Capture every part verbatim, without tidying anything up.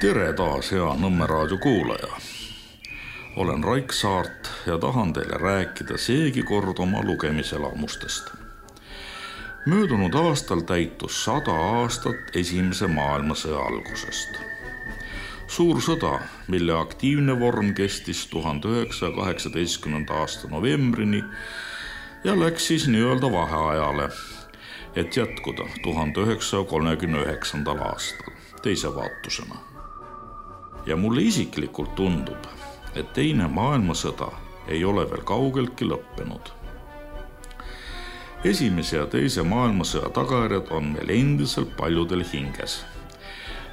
Tere taas, hea Nõmme raadio kuulaja. Olen Raik Saart ja tahan teile rääkida seegi kord oma lugemiselamustest. Möödunud aastal täitus sada aastat esimese maailmasõja algusest. Suur sõda, mille aktiivne vorm kestis tuhande üheksasaja kaheksateistkümnenda aasta novembrini ja läks siis nii-öelda vaheajale, et jätkuda tuhande üheksasaja kolmekümne üheksandal aastal teise vaatusena. Ja mulle isiklikult tundub, et teine maailmasõda ei ole veel kaugeltki lõppenud. Esimese ja teise maailmasõja tagajärjed on meil endiselt paljudel hinges.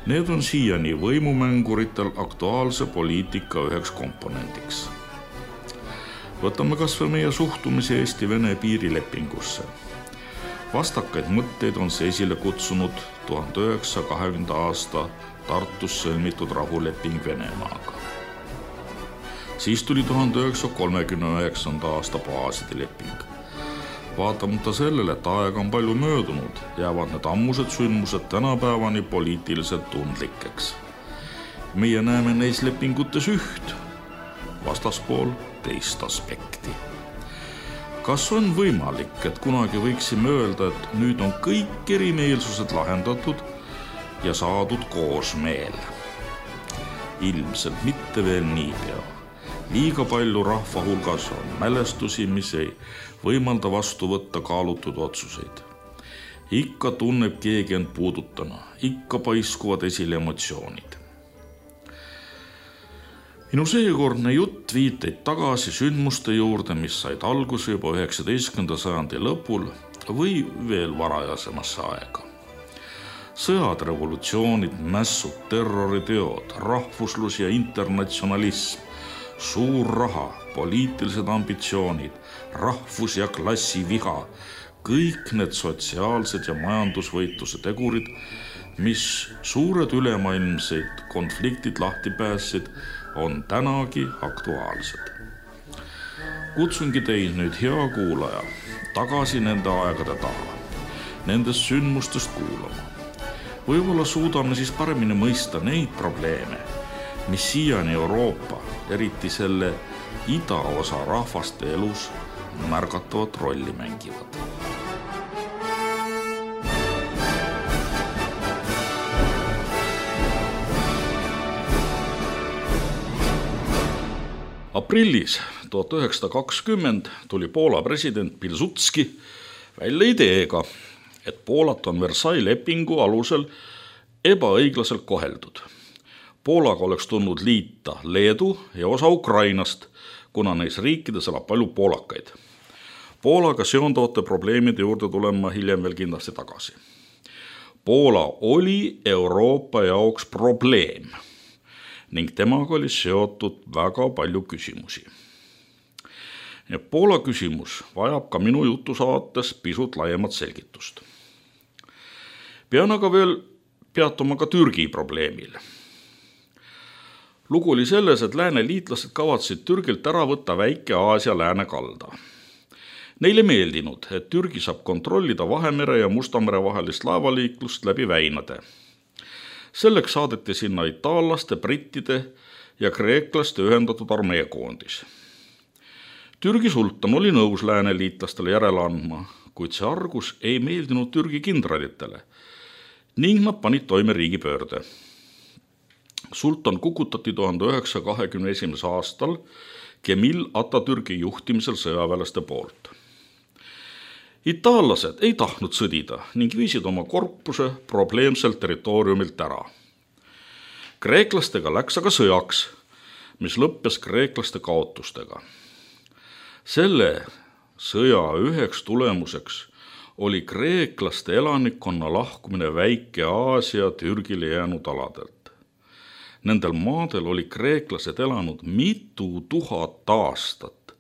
Need on siiani võimumänguritel aktuaalse poliitika üheks komponendiks. Võtame kas või meie suhtumise Eesti-Vene piirilepingusse. Vastakaid mõtteid on see esile kutsunud tuhande üheksasaja kahekümnenda aasta Tartus sõlmitud rahuleping Venemaaga. Siis tuli tuhande üheksasaja kolmekümne üheksanda aasta baaside leping. Vaatamata sellele, et aega on palju möödunud, jäävad need ammused sündmused tänapäevani poliitiliselt tundlikeks. Meie näeme neis lepingutes üht, vastaspool teist aspekti. Kas on võimalik, et kunagi võiksime öelda, et nüüd on kõik erimeelsused lahendatud ja saadud koosmeel? Ilmselt mitte veel niipea. Liiga palju rahva hulgas on mälestusi, mis ei võimalda vastu võtta kaalutud otsuseid. Ikka tunneb keegi end puudutana, ikka paiskuvad esile emotsioonid. Minu seekordne jutt viiteid tagasi sündmuste juurde, mis said alguse juba üheksateistkümnenda sajandi lõpul või veel varajasemasse aega. Sõjad, revolutsioonid, mässud, terroriteod, rahvuslus ja internatsionalism, suur raha, poliitilised ambitsioonid, rahvus- ja klassiviha, kõik need sotsiaalsed ja majandusvõitluse tegurid, mis suured ülemaailmseid konfliktid lahti päässid, on tänagi aktuaalsed. Kutsungi teid nüüd, hea kuulaja, tagasi nende aegade taha, nendest sündmustest kuulama. Võib-olla suudame siis paremini mõista neid probleeme, mis siiani Euroopa, eriti selle idaosa rahvaste elus märgatavat rolli mängivad. Aprillis tuhat üheksasada kakskümmend tuli Poola president Pilsudski välja ideega, et Poolat on Versailles lepingu alusel ebaõiglaselt koheldud. Poolaga oleks tulnud liita Leedu ja osa Ukrainast, kuna neis riikides elab palju poolakaid. Poolaga seonduvate probleemide juurde tulema hiljem veel kindlasti tagasi. Poola oli Euroopa jaoks probleem ning temaga oli seotud väga palju küsimusi. Ja Poola küsimus vajab ka minu jutu saates pisut laiemat selgitust. Pean aga veel peatuma ka Türgi probleemil. Lugu oli selles, et lääne liitlased kavatsid Türgilt ära võtta väike Aasia lääne kalda. Neile meeldinud, et Türgi saab kontrollida Vahemere ja Mustamere vahelist laevaliiklust läbi väinade. Selleks saadeti sinna itaallaste, brittide ja kreeklaste ühendatud armeekoondis. Türgi sultan oli nõus lääne liitlastele järele andma, kuid see argus ei meeldinud Türgi kindralitele ning nad panid toime riigipöörde. Sultan kukutati tuhande üheksasaja kahekümne esimesel aastal Kemil Atatürki juhtimisel sõjaväelaste poolt. Itaallased ei tahtnud sõdida ning viisid oma korpuse probleemselt territooriumilt ära. Kreeklastega läks aga sõjaks, mis lõppes kreeklaste kaotustega. Selle sõja üheks tulemuseks oli kreeklaste elanikkonna lahkumine väike Aasia Türgile jäänud aladelt. Nendel maadel oli kreeklased elanud mitu tuhat aastat.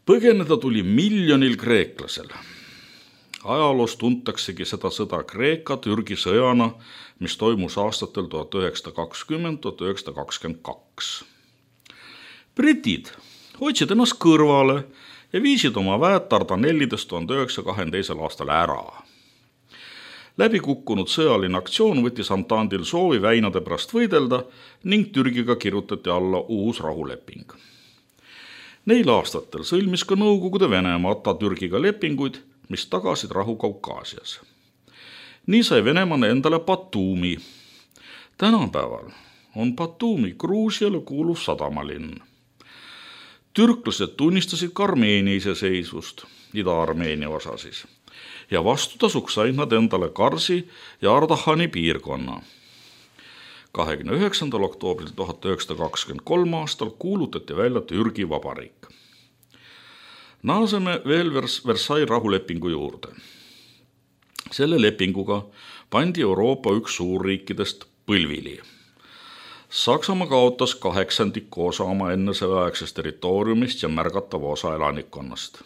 Põgeneda tuli miljonil kreeklasel. Ajaloos tuntaksegi seda sõda Kreeka-Türgi sõjana, mis toimus aastatel tuhat üheksasada kakskümmend kuni tuhat üheksasada kakskümmend kaks. Britid hoidsid ennast kõrvale ja viisid oma väed Dardanellidest tuhande üheksasaja kahekümne teisel aastal ära. Läbikukkunud sõjaline aktsioon võttis Entendil soovi väinade pärast võidelda ning Türgiga kirjutati alla uus rahuleping. Neil aastatel sõlmis ka Nõukogude Venemaa Atatürkiga lepinguid, mis tagasid rahu Kaukaasias. Nii sai Venemaa endale Batumi. Tänapäeval on Batumi Gruusiale kuuluv sadamalinn. Türklased tunnistasid ka Armeenia iseseisvust, Ida-Armeenia osa siis, ja vastutasuks said nad endale Karsi ja Ardahani piirkonna. kahekümne üheksandal oktoobril tuhat üheksasada kakskümmend kolm aastal kuulutati välja Türgi Vabariik. Naaseme veel Versailles rahulepingu juurde. Selle lepinguga pandi Euroopa üks suurriikidest põlvili. Saksamaa kaotas kaheksandiku osa oma ennesõjaaegsest territooriumist ja märgatava osa elanikkonnast.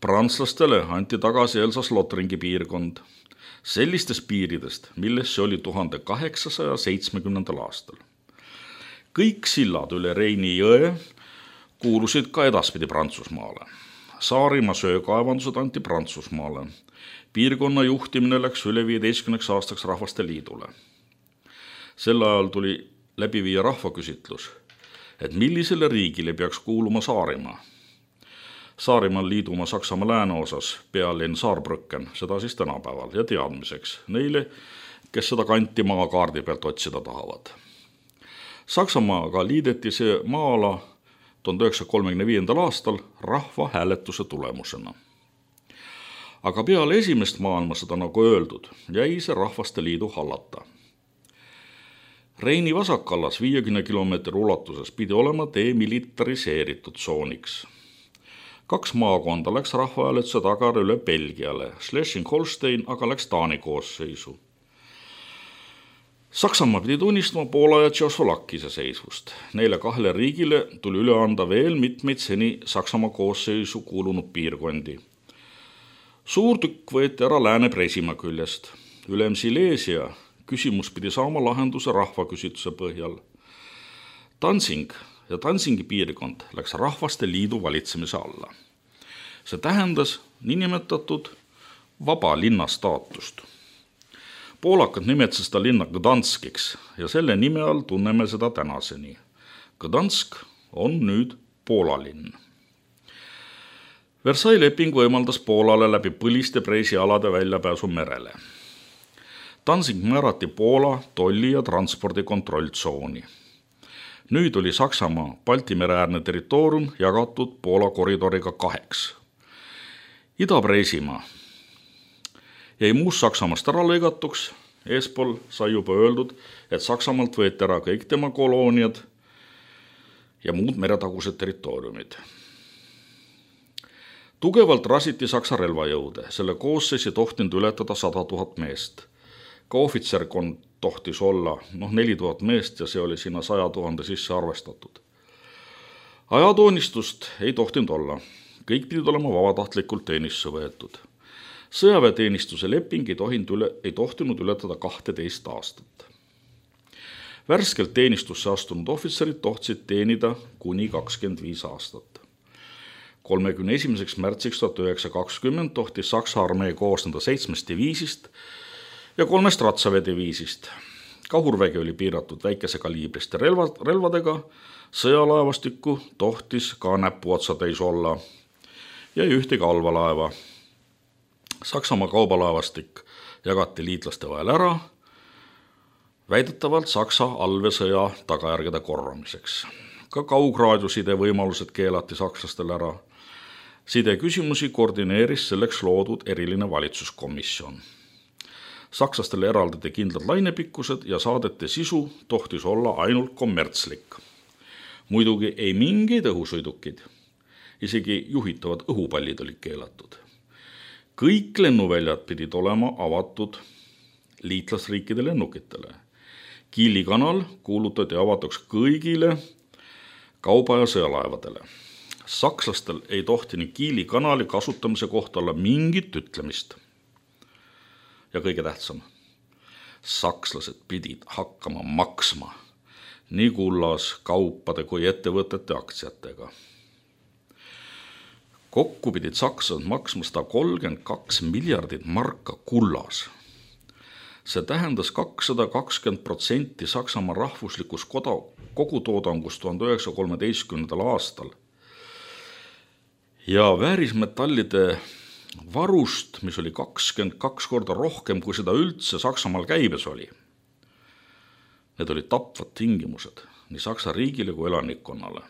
Prantslastele anti tagasi Elsass-Lothringi piirkond sellistest piiridest, milles see oli tuhande kaheksasaja seitsmekümnendal aastal. Kõik sillad üle Reini jõe kuulusid ka edaspidi Prantsusmaale. Saarimaa söökaevandused anti Prantsusmaale. Piirkonna juhtimine läks üle viieteistkümneks aastaks Rahvaste Liidule. Sel ajal tuli läbi viia rahvaküsitlus, et millisele riigile peaks kuuluma Saarimaa. Saarimaal liiduma Saksamaa lääneosas pealinn Saarbrücken, seda siis tänapäeval ja teadmiseks neile, kes seda kanti maakaardi pealt otsida tahavad. Saksamaaga liideti see maa-ala tuhande üheksasaja kolmekümne viiendal aastal rahva hääletuse tulemusena. Aga peale esimest maailmasõda, nagu öeldud, jäi see Rahvaste Liidu hallata. Reini vasakallas viiekümne kilomeetri ulatuses pidi olema demilitariseeritud tsooniks. Kaks maakonda läks rahvahääletuse tagara üle Belgiale, Schleswig-Holstein aga läks Taani koosseisu. Saksamaa pidi tunnistama Poola ja Tšehhoslovakkia iseseisvust. Neile kahele riigile tuli üle anda veel mitmeid seni Saksamaa koosseisu kuulunud piirkondi. Suur tükk võeti ära Lääne-Presimaa küljest. Ülem Silesia küsimus pidi saama lahenduse rahvaküsitluse põhjal. Danzig ja Danzigi piirkond läks Rahvaste Liidu valitsemise alla. See tähendas niinimetatud vaba linna staatust. Poolakad nimetasid seda linna Gdanskiks ja selle nime all tunneme seda tänaseni. Gdansk on nüüd Poola linn. Versailles leping võimaldas Poolale läbi põliste preisialade väljapääsu merele. Danzig määrati Poola tolli- ja transpordikontrolltsooni. Nüüd oli Saksamaa Baltimere-äärne territoorium jagatud Poola koridoriga kaheks. Ida-Preisimaa jäi muust Saksamaast ära lõigatuks, eespool sai juba öeldud, et Saksamaalt võeti ära kõik tema kolooniad ja muud meretagused territooriumid. Tugevalt rasiti Saksa relvajõude, selle koosseis ei tohtinud ületada sada tuhat meest. Ka ohvitserkond tohtis olla noh, neli tuhat meest ja see oli sinna saja tuhande sisse arvestatud. Ajatoonistust ei tohtinud olla, kõik pidid olema vabatahtlikult teenistusse võetud. Sõjaväeteenistuse leping ei, üle, ei tohtinud ületada kahteteist aastat. Värskelt teenistusse astunud ohvitserid tohtsid teenida kuni kakskümmend viis aastat. kolmekümne esimeseks märtsiks tuhat üheksasada kakskümmend tohtis Saksa armee koosneda seitsmest diviisist ja kolmest ratsaväediviisist. Kahurvägi oli piiratud väikese kaliibriste relva, relvadega, sõjalaevastikku tohtis ka näpuotsa täis olla ja ühtegi allvalaeva. Saksamaa kaubalaevastik jagati liitlaste vahel ära, väidetavalt Saksa allveesõja tagajärgede korramiseks. Ka kaugraadioside võimalused keelati sakslastel ära. Side küsimusi koordineeris selleks loodud eriline valitsuskomisjon. Sakslastele eraldati kindlad lainepikkused ja saadete sisu tohtis olla ainult kommertslik. Muidugi ei mingeid õhusõidukid, isegi juhitavad õhupallid olid keelatud. Kõik lennuväljad pidid olema avatud liitlasriikide lennukitele. Kiili kanal kuulutati avatuks kõigile kauba- ja sõjalaevadele. Sakslastel ei tohtinud Kiili kanali kasutamise kohta olla mingit ütlemist. Ja kõige tähtsam, sakslased pidid hakkama maksma nii kullas, kaupade kui ettevõtete aktsiatega. Kokku pidid sakslased maksma sada kolmkümmend kaks miljardit marka kullas. See tähendas kakssada kakskümmend protsenti Saksamaa rahvuslikust kogutoodangust tuhande üheksasaja kolmeteistkümnendal aastal. Ja väärismetallide varust, mis oli kakskümmend kaks korda rohkem, kui seda üldse Saksamaal käibes oli. Need olid tapvad tingimused nii Saksa riigile kui elanikkonnale.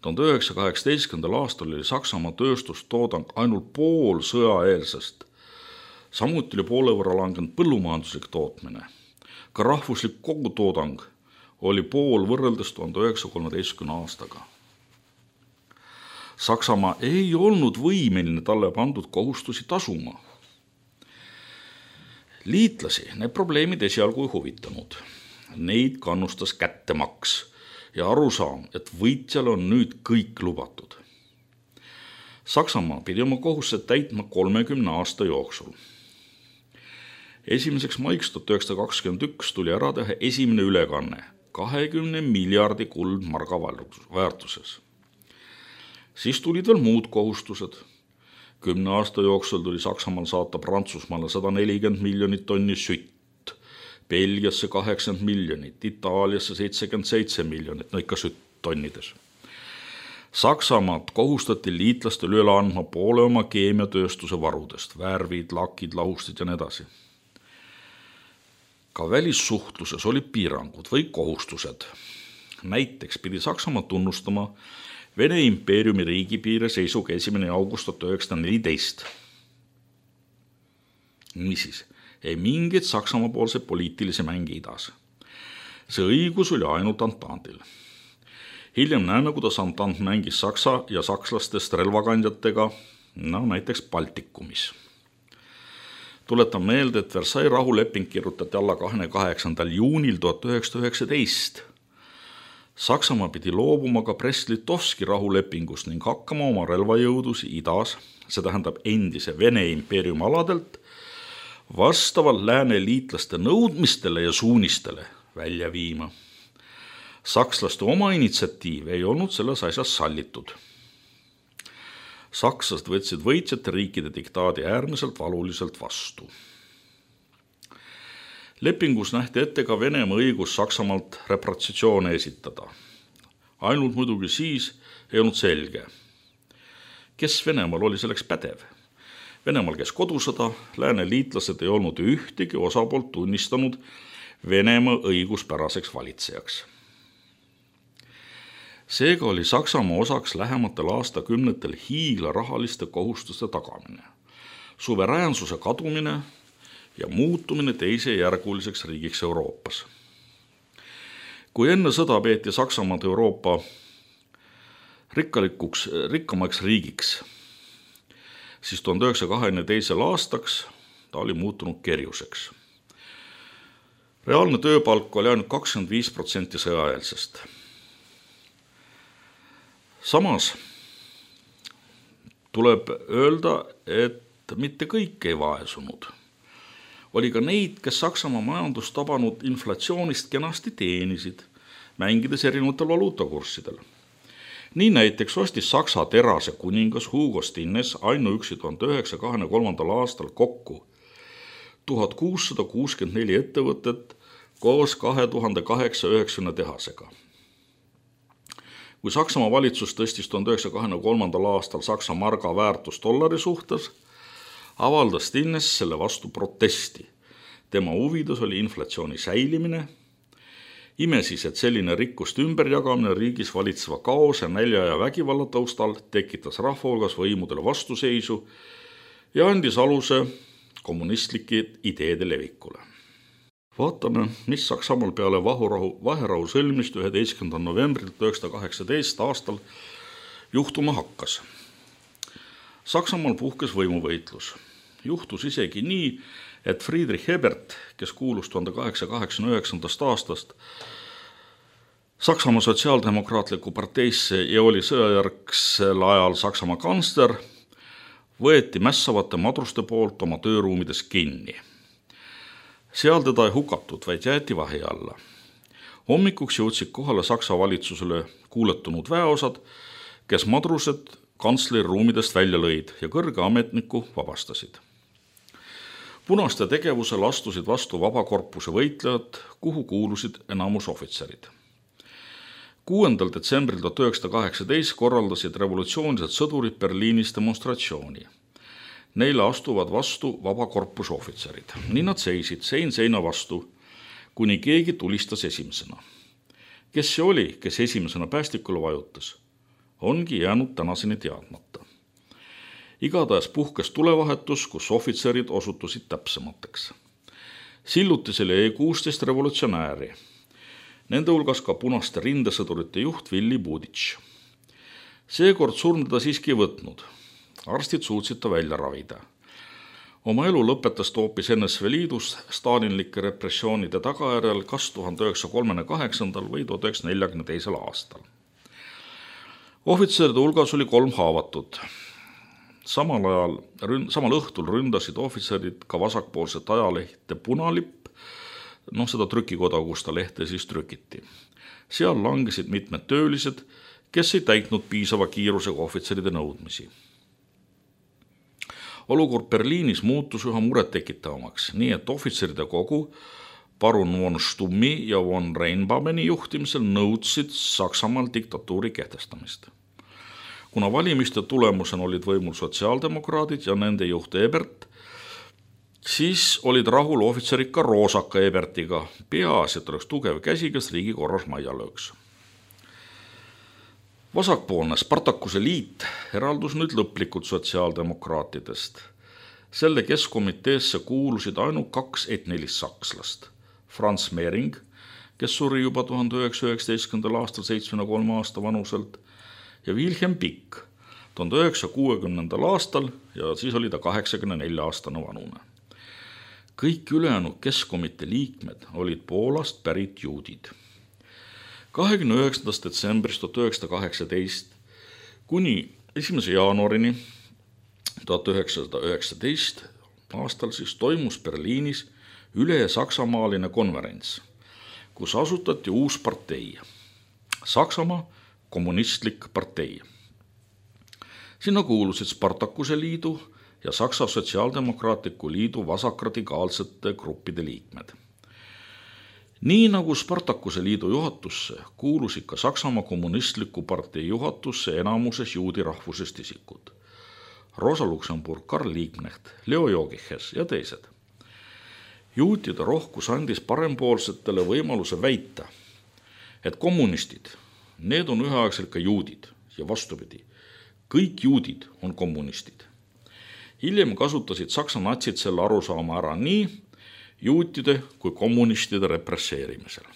tuhande üheksasaja kaheksateistkümnendal aastal oli Saksamaa tööstustoodang ainult pool sõjaeelsest. Samuti oli poole võrra langenud põllumajanduslik tootmine. Ka rahvuslik kogutoodang oli pool võrreldes tuhande üheksasaja kolmeteistkümnenda aastaga. Saksamaa ei olnud võimeline talle pandud kohustusi tasuma. Liitlasi need probleemid esialgu ei huvitanud. Neid kannustas kättemaks ja arusaam, et võitjal on nüüd kõik lubatud. Saksamaa pidi oma kohustused täitma kolmekümne aasta jooksul. Esimeseks maiks tuhat üheksasada kakskümmend üks tuli ära teha esimene ülekanne kahekümne miljardi kuldmarga väärtuses. Siis tulid veel muud kohustused. Kümne aasta jooksul tuli Saksamaal saata Prantsusmaale sada nelikümmend miljonit tonni sütt, Belgiasse kaheksakümmend miljonit, Itaaliasse seitsekümmend seitse miljonit, no ikka sütt tonnides. Saksamaad kohustati liitlastel üle andma poole oma keemiatööstuse varudest, värvid, lakid, lahustid ja nii edasi. Ka välissuhtluses olid piirangud või kohustused. Näiteks pidi Saksamaa tunnustama Vene impeeriumi riigipiire seisuga esimene august tuhat üheksasada neliteist. Niisiis, ei mingit Saksamaa poolse poliitilise mängi idas. See õigus oli ainult Antandil. Hiljem näeme, kuidas Antant mängis Saksa ja sakslastest relvakandjatega, no näiteks Baltikumis. Tuletan meelde, et Versailles rahuleping kirjutati alla kahekümne kaheksandal juunil tuhat üheksasada üheksateist. Saksamaa pidi loobuma ka Brest-Litovski rahulepingust ning hakkama oma relvajõudusi idas, see tähendab endise Vene impeeriumi aladelt, vastavalt lääne liitlaste nõudmistele ja suunistele välja viima. Sakslaste oma initsiatiiv ei olnud selles asjas sallitud. Sakslased võtsid võitjate riikide diktaadi äärmiselt valuliselt vastu. Lepingus nähti ette ka Venemaa õigus Saksamaalt reparatsioone esitada. Ainult muidugi siis ei olnud selge, kes Venemaal oli selleks pädev. Venemaal käis kodusõda, lääne liitlased ei olnud ühtegi osapoolt tunnistanud Venemaa õiguspäraseks valitsejaks. Seega oli Saksamaa osaks lähematel aastakümnetel hiigla rahaliste kohustuste tagamine, suveräänsuse kadumine ja muutumine teisejärguliseks riigiks Euroopas. Kui enne sõda peeti Saksamaad Euroopa rikkalikuks, rikkamaks riigiks, siis tuhande üheksasaja kahekümne teisel aastaks ta oli muutunud kerjuseks. Reaalne tööpalk oli ainult kakskümmend viis protsenti sõjaeelsest. Samas tuleb öelda, et mitte kõik ei vaesunud. Oli ka neid, kes Saksamaa majandust tabanud inflatsioonist kenasti teenisid, mängides erinevatel valuutakurssidel. Nii näiteks ostis Saksa terase kuningas Hugo Stinnes ainuüksi tuhande üheksasaja kahekümne kolmandal aastal kokku tuhat kuussada kuuskümmend neli ettevõtet koos kahe tuhande kaheksasada üheksakümne tehasega. Kui Saksamaa valitsus tõstis tuhande üheksasaja kahekümne kolmandal aastal Saksa marga väärtus dollari suhtes, avaldas Stinnes selle vastu protesti. Tema huvides oli inflatsiooni säilimine. Ime siis, et selline rikkuste ümberjagamine riigis valitseva kaose, nälja ja vägivalla taustal tekitas rahva hulgas võimudele vastuseisu ja andis aluse kommunistlike ideede levikule. Vaatame, mis Saksamaal peale vahurahu, vaherahu sõlmist üheteistkümnendal novembril tuhat üheksasada kaheksateist aastal juhtuma hakkas. Saksamaal puhkes võimuvõitlus. Juhtus isegi nii, et Friedrich Ebert, kes kuulus tuhande kaheksasaja kaheksakümne üheksandast aastast Saksamaa sotsiaaldemokraatliku parteisse ja oli sõjajärgsel ajal Saksamaa kantsler, võeti mässavate madruste poolt oma tööruumides kinni. Seal teda ei hukatud, vaid jäeti vahi alla. Hommikuks jõudsid kohale Saksa valitsusele kuuletunud väeosad, kes madrused kantsleri ruumidest välja lõid ja kõrge ametniku vabastasid. Punaste tegevusel astusid vastu vabakorpuse võitlejad, kuhu kuulusid enamus ohvitserid. kuuendal detsembril tuhat üheksasada kaheksateist korraldasid revolutsioonilised sõdurid Berliinis demonstratsiooni. Neile astuvad vastu vabakorpuse ohvitserid. Nii nad seisid sein seina vastu, kuni keegi tulistas esimesena. Kes see oli, kes esimesena päästikule vajutas, ongi jäänud tänaseni teadmata. Igatahes puhkes tulevahetus, kus ohvitserid osutusid täpsemateks. Sillutisel jäi kuusteist revolutsionääri. Nende hulgas ka punaste rindesõdurite juht Willy Buditš. Seekord surm teda siiski võtnud. Arstid suutsid ta välja ravida. Oma elu lõpetas ta hoopis N S V Liidus stalinlike repressioonide tagajärjel kas tuhande üheksasaja kolmekümne kaheksandal või tuhat üheksasada neljakümne teisel aastal. Ohvitseride hulgas oli kolm haavatut. Samal ajal, samal õhtul ründasid ohvitserid ka vasakpoolset ajalehte Punalipp, noh seda trükikoda, kus ta lehte siis trükiti. Seal langesid mitmed töölised, kes ei täitnud piisava kiirusega ohvitseride nõudmisi. Olukord Berliinis muutus üha murettekitavamaks, nii et ohvitseride kogu parun von Stummi ja von Reinbameni juhtimisel nõudsid Saksamaal diktatuuri kehtestamist. Kuna valimiste tulemusena olid võimul sotsiaaldemokraadid ja nende juht Ebert, siis olid rahul ohvitserid ka Roosaka Ebertiga, peaasi, et oleks tugev käsi, kes riigi korras majja lööks. Vasakpoolne Spartakuse liit eraldus nüüd lõplikult sotsiaaldemokraatidest. Selle keskkomiteesse kuulusid ainult kaks etnilist sakslast. Franz Mehring, kes suri juba tuhande üheksasaja üheksateistkümnendal aastal seitsmekümne kolme aasta vanuselt, ja Wilhelm Pikk tuhande üheksasaja kuuekümnendal aastal ja siis oli ta kaheksakümne nelja aastane vanune. Kõik ülejäänud keskkomitee liikmed olid Poolast pärit juudid. kahekümne üheksandast detsembrist tuhat üheksasada kaheksateist kuni esimese jaanuarini tuhat üheksasada üheksateist aastal siis toimus Berliinis üle-saksamaaline konverents, kus asutati uus partei, Saksamaa kommunistlik partei. Sinna kuulusid Spartakuse liidu ja Saksa Sotsiaaldemokraatliku liidu vasakradikaalsete gruppide liikmed. Nii nagu Spartakuse liidu juhatusse kuulusid ka Saksamaa kommunistliku partei juhatusse enamuses juudi rahvusest isikud. Rosa Luxemburg, Karl Liebknecht, Leo Jogiches ja teised. Juutide rohkus andis parempoolsetele võimaluse väita, et kommunistid, need on üheaegselt ka juudid ja vastupidi, kõik juudid on kommunistid. Hiljem kasutasid Saksa natsid selle arusaama ära nii juutide kui kommunistide represseerimisel.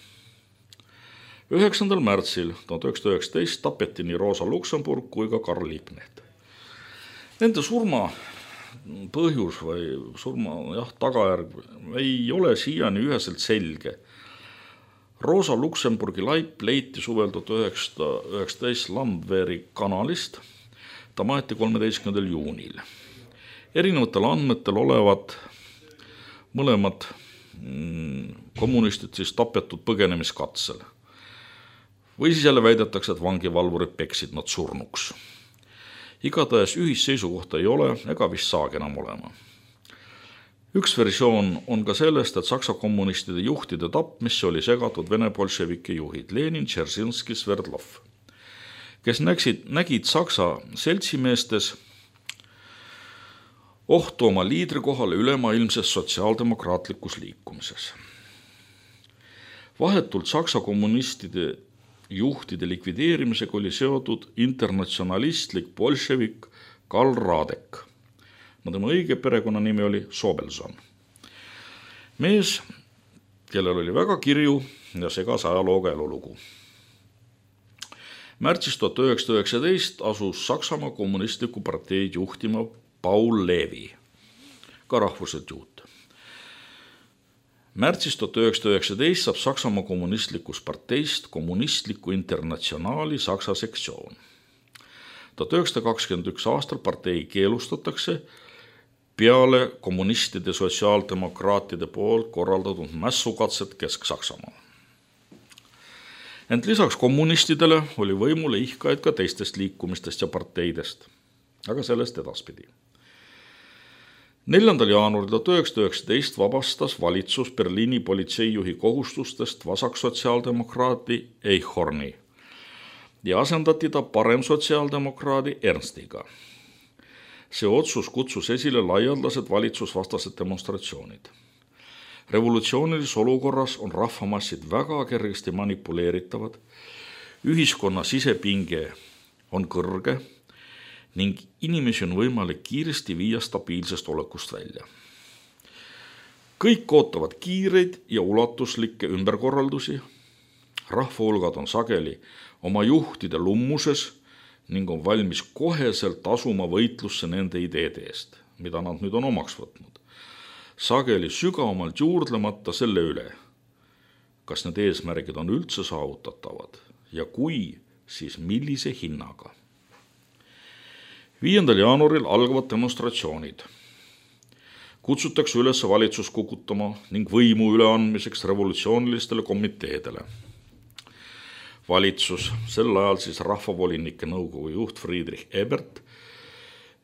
üheksandal märtsil tuhat üheksasada üheksateist tapeti nii Rosa Luxemburg kui ka Karl Liebknecht. Nende surma põhjus või surma jah, tagajärg ei ole siiani üheselt selge. Rosa Luxemburgi laip leiti suvel tuhat üheksasada üheksateist Landwehri kanalist. Ta maeti kolmeteistkümnendal juunil. Erinevatel andmetel olevat mõlemad kommunistid siis tapetud põgenemiskatsel. Või siis jälle väidetakse, et vangivalvurid peksid nad surnuks. Igatahes ühisseisukohta ei ole ega vist saagi enam olema. Üks versioon on ka sellest, et Saksa kommunistide juhtide tapmisse oli segatud Vene bolševike juhid Lenin, Dzeržinski, Sverdlov, kes nägid, nägid Saksa seltsimeestes ohtu oma liidri kohale ülemaailmses sotsiaaldemokraatlikus liikumises. Vahetult Saksa kommunistide juhtide likvideerimisega oli seotud internatsionalistlik bolševik Karl Radek. No tema õige perekonnanimi oli Sobelson. Mees, kellel oli väga kirju ja segas ajalooga elulugu. Märtsis tuhat üheksasada üheksateist asus Saksamaa kommunistliku parteid juhtima Paul Levi, ka rahvuselt juut. Märtsis tuhat üheksasada üheksateist saab Saksamaa kommunistlikust parteist kommunistliku internatsionaali Saksa sektsioon. tuhat üheksasada kakskümmend üks aastal partei keelustatakse peale kommunistide sotsiaaldemokraatide poolt korraldatud mässukatset Kesk-Saksamaal. Ent lisaks kommunistidele oli võimule ihkaid ka teistest liikumistest ja parteidest, aga sellest edaspidi. neljandal jaanuaril tuhat üheksasada üheksateist vabastas valitsus Berliini politseijuhi kohustustest vasaksotsiaaldemokraadi Eichhorni ja asendati ta parem sotsiaaldemokraadi Ernstiga. See otsus kutsus esile laialdased valitsusvastased demonstratsioonid. Revolutsioonilises olukorras on rahvamassid väga kergesti manipuleeritavad, ühiskonna sisepinge on kõrge ning inimesi on võimalik kiiresti viia stabiilsest olekust välja. Kõik ootavad kiireid ja ulatuslikke ümberkorraldusi, rahvahulgad on sageli oma juhtide lummuses ning on valmis koheselt asuma võitlusse nende ideede eest, mida nad nüüd on omaks võtnud. Sageli sügavamalt juurdlemata selle üle, kas need eesmärgid on üldse saavutatavad ja kui, siis millise hinnaga. viiendal jaanuaril algavad demonstratsioonid. Kutsutakse üles valitsus kukutama ning võimu üleandmiseks revolutsioonilistele komiteedele. Valitsus, sel ajal siis rahvavolinike nõukogu juht Friedrich Ebert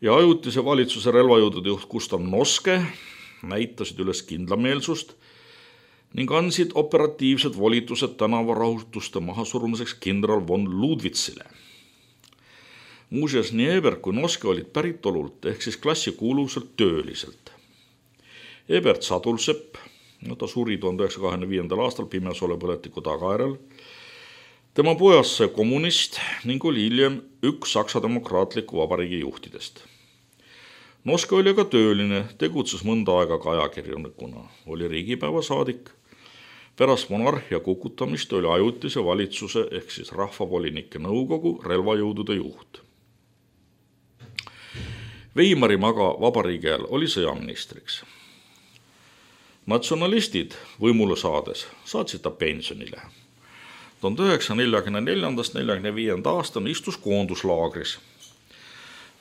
ja ajutise valitsuse relvajõudude juht Gustav Noske näitasid üles kindlameelsust ning andsid operatiivsed volitused tänavarahutuste mahasurumiseks kindral von Ludwitzile. Muuseas, nii Ebert kui Noske olid päritolult ehk siis klassikuuluvuselt tööliselt. Ebert Sadulsepp, no ta suri tuhande üheksasaja kahekümne viiendal aastal pimesolepõletiku tagajärjel. Tema pojas sai kommunist ning oli hiljem üks Saksa demokraatliku vabariigi juhtidest. Noske oli aga tööline, tegutses mõnda aega ka ajakirjanikuna, oli riigipäeva saadik. Pärast monarhia kukutamist oli ajutise valitsuse ehk siis rahvavolinike nõukogu relvajõudude juht. Weimarim aga vabariigi ajal oli sõjaministriks. Natsionalistid võimule saades saatsid ta pensionile. tuhande üheksasaja neljakümne neljandast neljakümne viienda aastani istus koonduslaagris.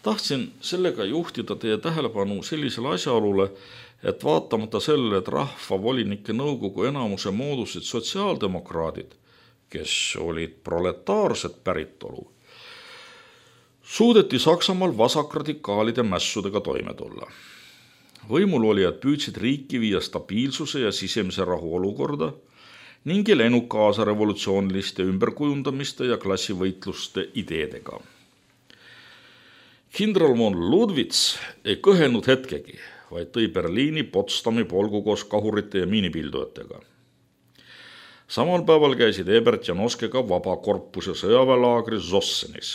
Tahtsin sellega juhtida teie tähelepanu sellisele asjaolule, et vaatamata sellele, et rahvavolinike nõukogu enamuse moodusid sotsiaaldemokraadid, kes olid proletaarset päritolu, suudeti Saksamaal vasakradikaalide mässudega toime tulla. Võimul olijad püüdsid riiki viia stabiilsuse ja sisemise rahu olukorda ning ei läinud kaasa revolutsiooniliste ümberkujundamiste ja klassivõitluste ideedega. Kindral von Ludwitz ei kõhelnud hetkegi, vaid tõi Berliini Potsdami polgu koos kahurite ja miinipildujatega. Samal päeval käisid Ebert ja Noske ka vabakorpuse sõjaväelaagris Zossenis.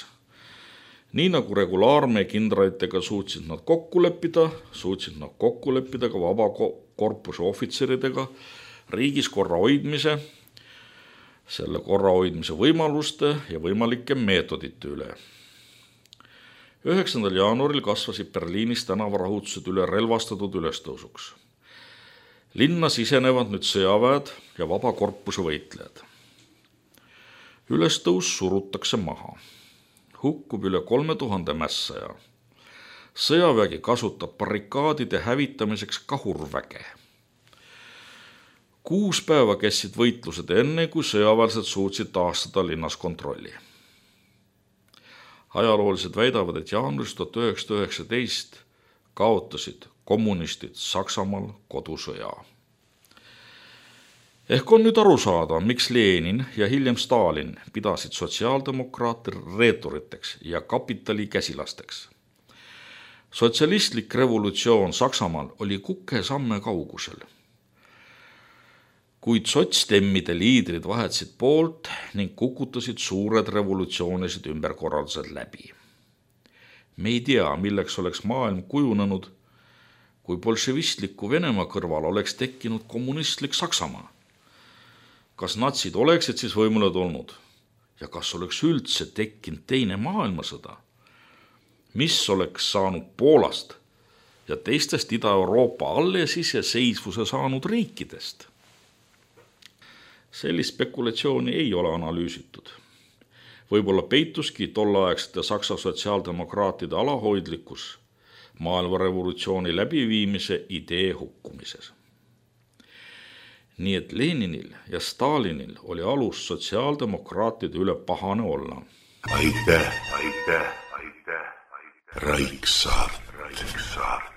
Nii nagu regulaarmee kindralitega suutsid nad kokku leppida, suutsid nad kokku leppida ka vabakorpuse ohvitseridega riigis korra hoidmise, selle korra hoidmise võimaluste ja võimalike meetodite üle. üheksandal jaanuaril kasvasid Berliinis tänavarahutused üle relvastatud ülestõusuks. Linna sisenevad nüüd sõjaväed ja vabakorpuse võitlejad. Ülestõus surutakse maha. Hukkub üle kolme tuhande mässaja. Sõjavägi kasutab barrikaadide hävitamiseks kahurväge. Kuus päeva kestsid võitlused enne, kui sõjaväelased suutsid taastada linnas kontrolli. Ajaloolised väidavad, et jaanuaris tuhat üheksasada üheksateist kaotasid kommunistid Saksamaal kodusõja. Ehk on nüüd aru saada, miks Lenin ja hiljem Stalin pidasid sotsiaaldemokraate reeturiteks ja kapitali käsilasteks. Sotsialistlik revolutsioon Saksamaal oli kuke samme kaugusel. Kuid sotsdemmide liidrid vahetsid poolt ning kukutasid suured revolutsioonilised ümberkorraldused läbi. Me ei tea, milleks oleks maailm kujunenud, kui bolševistliku Venemaa kõrval oleks tekkinud kommunistlik Saksamaa. Kas natsid oleksid siis võimule tulnud ja kas oleks üldse tekkinud teine maailmasõda? Mis oleks saanud Poolast ja teistest Ida-Euroopa alles iseseisvuse saanud riikidest? Sellist spekulatsiooni ei ole analüüsitud. Võib-olla peituski tolleaegsete Saksa sotsiaaldemokraatide alahoidlikkus maailmarevolutsiooni läbiviimise idee hukkumises. Nii et Leninil ja Stalinil oli alus sotsiaaldemokraatide üle pahane olla. Aitäh, aitäh, aitäh, aitäh. Raiksaart. Raiksaart.